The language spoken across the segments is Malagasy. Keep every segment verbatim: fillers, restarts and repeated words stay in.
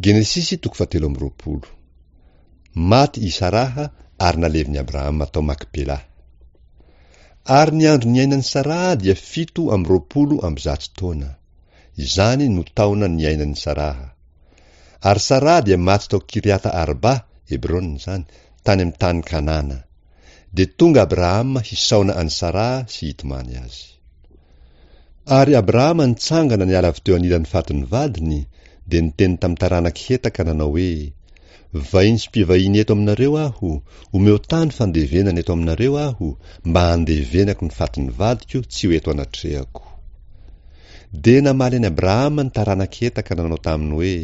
Genesisy toko fahatelo amby roapolo. Maty i Saraha ary nalevin'i Abrahama tao Makpela. Ary ny andro niainan'i Saraha dia fito amby roapolo amby zato taona. Izany no taona niainan'i Saraha. Ary Saraha dia maty tao Kiriata Arba, Hebrona izany, tany amin'ny tany Kanana. Dia tonga Abrahama hisaona an'i Saraha sy hitomany azy. Ary Abrahama nitsangana niala avy teo anilan'ny fatin'ny vadiny, dia niteny tamin'ny taranak'i Heta ka nanao hoe, Vahiny sy mpivahiny eto aminareo aho, omeo tany fandevenana eto aminareo aho, mba handevenako ny fatin'ny vadiko tsy ho eto anatrehako. Dia namaly an'i Abrahama ny taranak'i Heta ka nanao taminy hoe,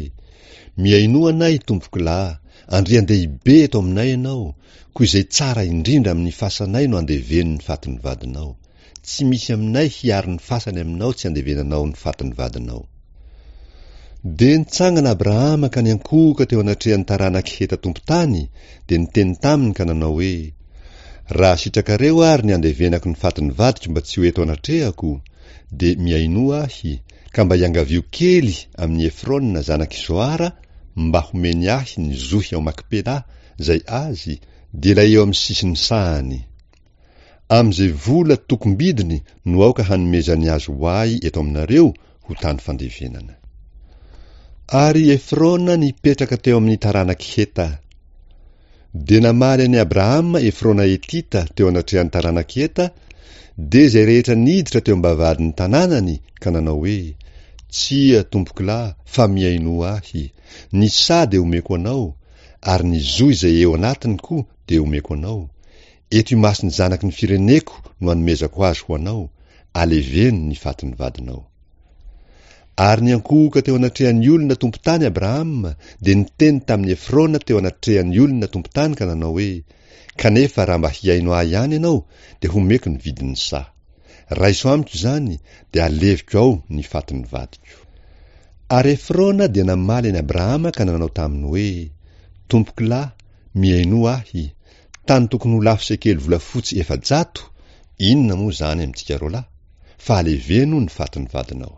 Mihainoa anay, tompokolahy, andrian-dehibe eto aminay ianao, koa izay tsara indrindra amin'ny fasanay no andeveno ny fatin'ny vadinao. Tsy misy aminay hiaro ny fasany aminao tsy andevenanao ny fatin'ny vadinao. Dia nitsangana Abrahama ka niankohoka teo anatrehan'ny taranak'i Heta tompon-tany, dia niteny taminy ka nanao hoe, Raha sitrakareo ary ny andevenako ny fatin'ny vadiko mba tsy ho eto anatrehako, dia mihainoa ahy, ka mba iangavio kely amin'i Efrona zanak'i Zoara mba homeny ahy ny zohy ao Makpela, izay azy, dia ilay eo amin'ny sisin'ny sahany. Amin'izay vola tokom-bidiny no aoka hanomezany azy ho ahy eto aminareo ho tany fandevenana. Ary Efrona nipetraka teo amin'ny taranak'i Heta. Dia namaly an'i Abrahama Efrona Hetita teo anatrehan'ny taranak'i Heta, dia izay rehetra niditra teo am-bavahadin'ny tanànany ka nanao hoe, Tsia, tompokolahy, fa mihainoa ahy. Ny saha dia omeko anao, ary ny zo izay eo anatiny koa dia omeko anao. Eto imason'ny zanaky ny fireneko no anomezako azy ho anao, aleveno ny fatin'ny vadinao. Ary niankohoka teo anatrehan'ny olona tompon-tany Abrahama, dia niteny tamin'i Efrona teo anatrehan'ny olona tompon-tany ka nanao hoe, Kanefa raha mba hihaino ahy ihany ianao, dia homeko ny vidin'ny saha. Raiso amiko izany, dia aleviko ao ny fatin'ny vadiko. Ary Efrona dia namaly an'i Abrahama ka nanao taminy hoe, Tompokolahy, mihainoa ahy, tany tokony ho lafo sekely volafotsy efajato, inona moa izany amintsika roalahy? Fa aleveno ny fatin'ny vadinao.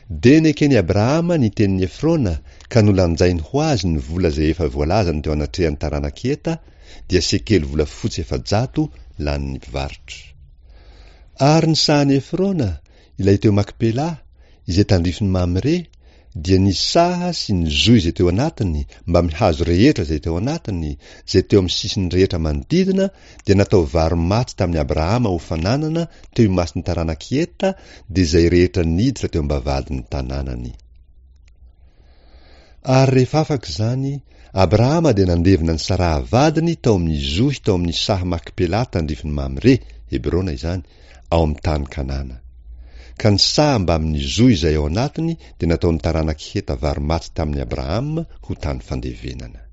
Dia neken'i Abrahama ny tenin'i Efrona ka nolanjainy ho azy ny vola izay efa voalazany teo anatrehan'ny taranak'i Heta, dia sekely volafotsy efajato lanin'ny mpivarotra. Ary ny sahan'i Efrona, ilay teo Makpela, izay tandrifin'i Mamre, dia ny saha sy ny zohy izay teo anatiny mbamin'ny hazo rehetra izay teo anatiny, izay teo amin'ny sisiny rehetra manodidina, dia natao varo-maty tamin'i Abrahama ho fananana teo imason'ny taranak'i Heta, dia izay rehetra niditra teo am-bavahadin'ny tanànany. Ary rehefa afaka izany, Abrahama dia nandevina an'i Saraha vadiny tao amin'ny zohy tao amin'ny saha Makpela tandrifin'i Mamre, Hebrona izany, ao amin'ny tany Kanana. Ka ny saha mbamin'ny zohy izay ao anatiny dia nataon'ny taranak'i Heta varo-maty tamin'i Abrahama ho tany fandevenana.